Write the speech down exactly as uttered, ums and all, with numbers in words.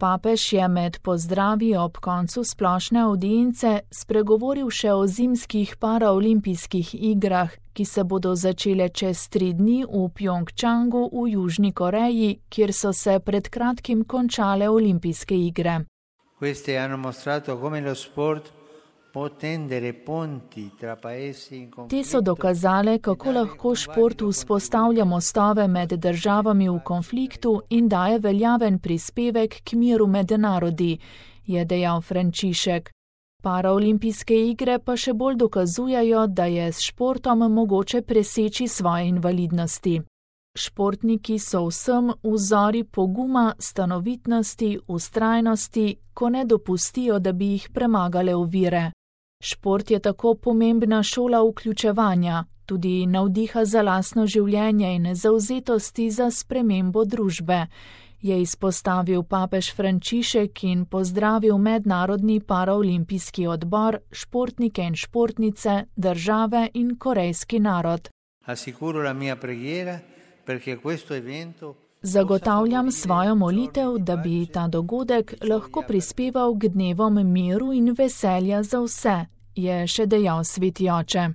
Papež je med pozdravi ob koncu splošne avdience spregovoril še o zimskih paraolimpijskih igrah, ki se bodo začele čez tri dni v Pjongčangu v Južni Koreji, kjer so se pred kratkim končale olimpijske igre. Queste hanno mostrato come lo sport può tendere ponti tra paesi in conflitto. Te so dokazale, kako lahko šport vzpostavlja mostove med državami v konfliktu in daje veljaven prispevek k miru med narodi, je dejal Frančišek. Paraolimpijske igre pa še bolj dokazujejo, da je s športom mogoče preseči svoje invalidnosti. Športniki so vsem vzori poguma, stanovitnosti, vztrajnosti, ko ne dopustijo, da bi jih premagale ovire. Šport je tako pomembna šola vključevanja, tudi navdiha za lastno življenje in zavzetosti za spremembo družbe, je izpostavil papež Frančišek in pozdravil Mednarodni paraolimpijski odbor, športnike in športnice, države in korejski narod. Assicuro la mia preghiera perché questo evento Zagotavljam svojo molitev, da bi ta dogodek lahko prispeval k dnevom miru in veselja za vse, je še dejal sveti oče.